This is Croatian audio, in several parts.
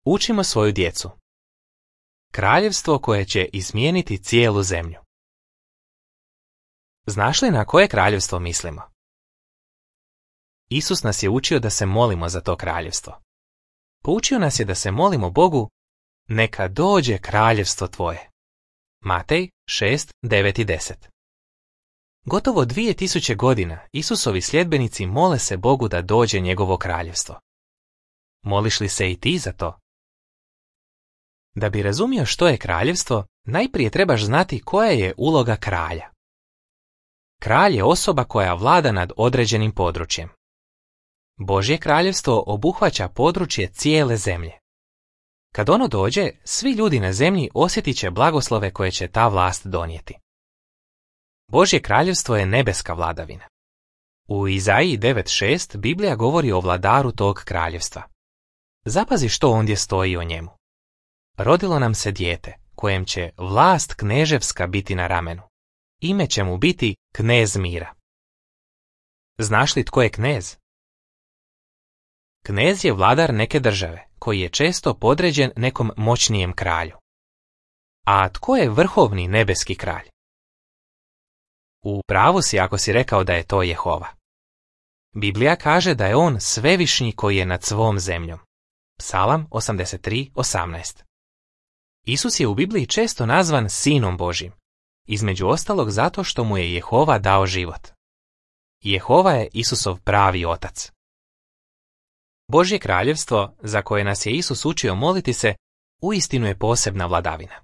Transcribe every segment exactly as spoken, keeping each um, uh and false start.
Učimo svoju djecu. Kraljevstvo koje će izmijeniti cijelu zemlju. Znaš li na koje kraljevstvo mislimo? Isus nas je učio da se molimo za to kraljevstvo. Poučio nas je da se molimo Bogu, neka dođe kraljevstvo tvoje. Matej šest, devet i deset. Gotovo dvije tisuće godina Isusovi sljedbenici mole se Bogu da dođe njegovo kraljevstvo. Moliš li se i ti za to? Da bi razumio što je kraljevstvo, najprije trebaš znati koja je uloga kralja. Kralj je osoba koja vlada nad određenim područjem. Božje kraljevstvo obuhvaća područje cijele zemlje. Kad ono dođe, svi ljudi na zemlji osjetit će blagoslove koje će ta vlast donijeti. Božje kraljevstvo je nebeska vladavina. U Izaiji devet šest Biblija govori o vladaru tog kraljevstva. Zapazi što ondje stoji o njemu. Rodilo nam se dijete, kojem će vlast kneževska biti na ramenu. Ime će mu biti knez mira. Znaš li tko je knez? Knez je vladar neke države, koji je često podređen nekom moćnijem kralju. A tko je vrhovni nebeski kralj? U pravu si ako si rekao da je to Jehova. Biblija kaže da je on svevišnji koji je nad svom zemljom. Psalam osamdeset tri, osamnaest. Isus je u Bibliji često nazvan Sinom Božjim, između ostalog zato što mu je Jehova dao život. Jehova je Isusov pravi otac. Božje kraljevstvo, za koje nas je Isus učio moliti se, uistinu je posebna vladavina.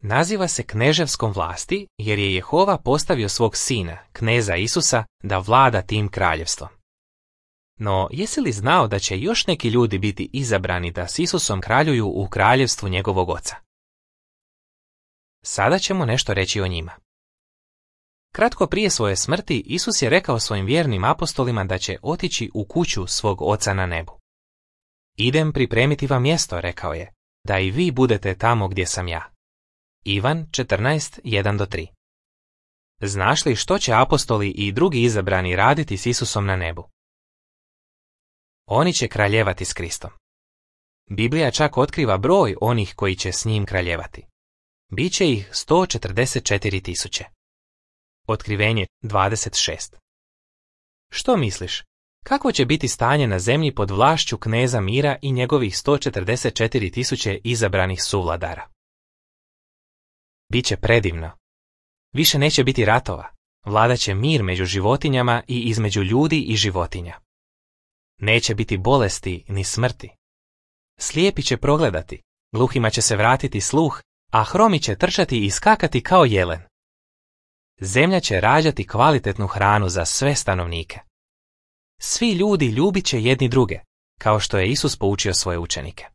Naziva se kneževskom vlasti jer je Jehova postavio svog sina, kneza Isusa, da vlada tim kraljevstvom. No, jesi li znao da će još neki ljudi biti izabrani da s Isusom kraljuju u kraljevstvu njegovog oca? Sada ćemo nešto reći o njima. Kratko prije svoje smrti, Isus je rekao svojim vjernim apostolima da će otići u kuću svog oca na nebu. Idem pripremiti vam mjesto, rekao je, da i vi budete tamo gdje sam ja. Ivan četrnaest, jedan do tri. Znaš li što će apostoli i drugi izabrani raditi s Isusom na nebu? Oni će kraljevati s Kristom. Biblija čak otkriva broj onih koji će s njim kraljevati. Biće ih sto četrdeset četiri tisuće. Otkrivenje dvadeset šest. Što misliš? Kako će biti stanje na zemlji pod vlašću kneza mira i njegovih sto četrdeset četiri tisuće izabranih suvladara? Biće predivno. Više neće biti ratova. Vladaće mir među životinjama i između ljudi i životinja. Neće biti bolesti ni smrti. Slijepi će progledati, gluhima će se vratiti sluh, a hromi će trčati i skakati kao jelen. Zemlja će rađati kvalitetnu hranu za sve stanovnike. Svi ljudi ljubit će jedni druge, kao što je Isus poučio svoje učenike.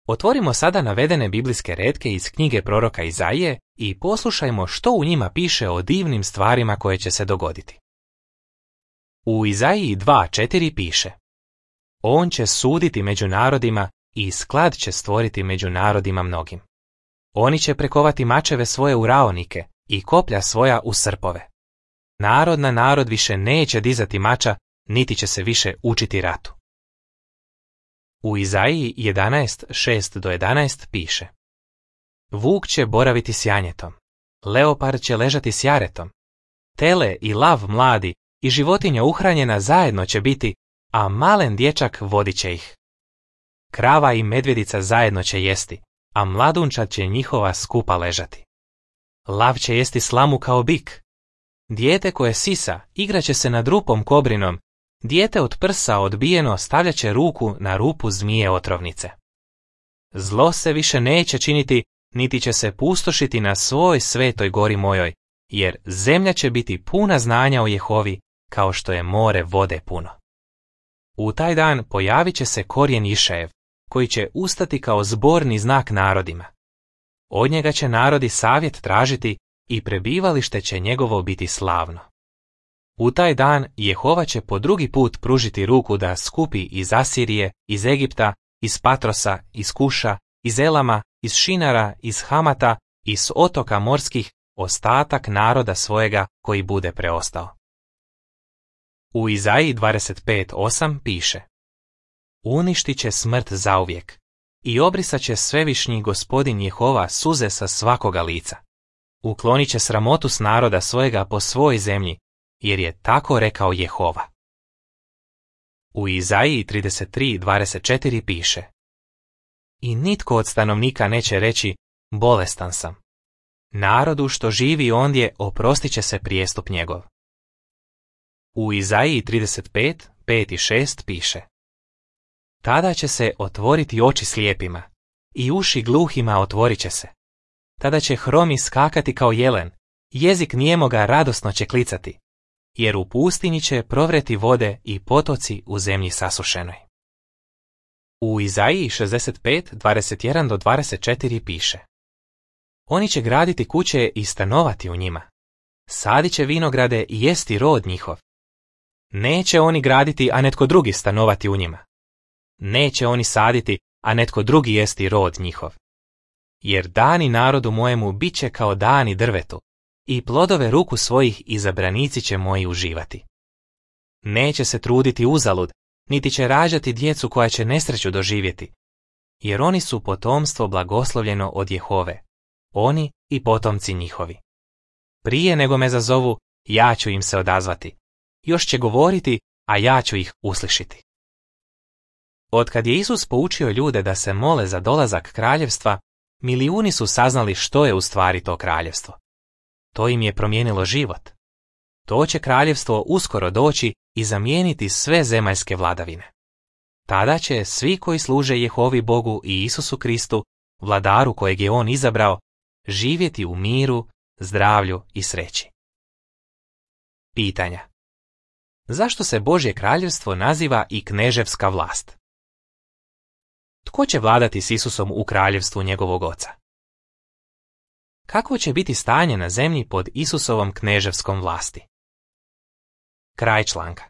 Otvorimo sada navedene biblijske retke iz knjige proroka Izaije i poslušajmo što u njima piše o divnim stvarima koje će se dogoditi. U Izaiji dva četiri piše: On će suditi među narodima i sklad će stvoriti među narodima mnogim. Oni će prekovati mačeve svoje u raonike i koplja svoja u srpove. Narod na narod više neće dizati mača, niti će se više učiti ratu. U Izaiji jedanaest šest do jedanaest piše: Vuk će boraviti s janjetom, leopard će ležati s jaretom, tele i lav mladi i životinja uhranjena zajedno će biti, a malen dječak vodit će ih. Krava i medvjedica zajedno će jesti, a mladunčad će njihova skupa ležati. Lav će jesti slamu kao bik. Dijete koje sisa igraće se nad rupom kobrinom, dijete od prsa odbijeno stavljat će ruku na rupu zmije otrovnice. Zlo se više neće činiti, niti će se pustošiti na svoj svetoj gori mojoj, jer zemlja će biti puna znanja o Jehovi, kao što je more vode puno. U taj dan pojavit će se korijen Išajev, koji će ustati kao zborni znak narodima. Od njega će narodi savjet tražiti i prebivalište će njegovo biti slavno. U taj dan Jehova će po drugi put pružiti ruku da skupi iz Asirije, iz Egipta, iz Patrosa, iz Kuša, iz Elama, iz Šinara, iz Hamata, iz otoka morskih, ostatak naroda svojega koji bude preostao. U Izaiji dvadeset pet osam piše: Uništit će smrt zauvijek i obrisat će svevišnji Gospodin Jehova suze sa svakoga lica. Uklonit će sramotu s naroda svojega po svoj zemlji, jer je tako rekao Jehova. U Izaiji trideset tri dvadeset četiri piše: I nitko od stanovnika neće reći, bolestan sam. Narodu što živi ondje oprostit će se prijestup njegov. U Izaiji trideset pet, pet i šest piše: Tada će se otvoriti oči slijepima i uši gluhima otvorit će se. Tada će hromi skakati kao jelen, jezik nijemoga radosno će klicati, jer u pustinji će provreti vode i potoci u zemlji sasušenoj. U Izaiji šezdeset pet, dvadeset jedan do dvadeset četiri piše: Oni će graditi kuće i stanovati u njima. Sadit će vinograde i jesti rod njihov. Neće oni graditi, a netko drugi stanovati u njima. Neće oni saditi, a netko drugi jesti rod njihov. Jer dani narodu mojemu bit će kao dani drvetu, i plodove ruku svojih izabranici će moji uživati. Neće se truditi uzalud, niti će rađati djecu koja će nesreću doživjeti, jer oni su potomstvo blagoslovljeno od Jehove, oni i potomci njihovi. Prije nego me zazovu, ja ću im se odazvati. Još će govoriti, a ja ću ih uslišiti. Otkad je Isus poučio ljude da se mole za dolazak kraljevstva, milijuni su saznali što je u stvari to kraljevstvo. To im je promijenilo život. To će kraljevstvo uskoro doći i zamijeniti sve zemaljske vladavine. Tada će svi koji služe Jehovi Bogu i Isusu Kristu, vladaru kojeg je on izabrao, živjeti u miru, zdravlju i sreći. Pitanja. Zašto se Božje kraljevstvo naziva i kneževska vlast? Tko će vladati s Isusom u kraljevstvu njegovog oca? Kako će biti stanje na zemlji pod Isusovom kneževskom vlasti? Kraj članka.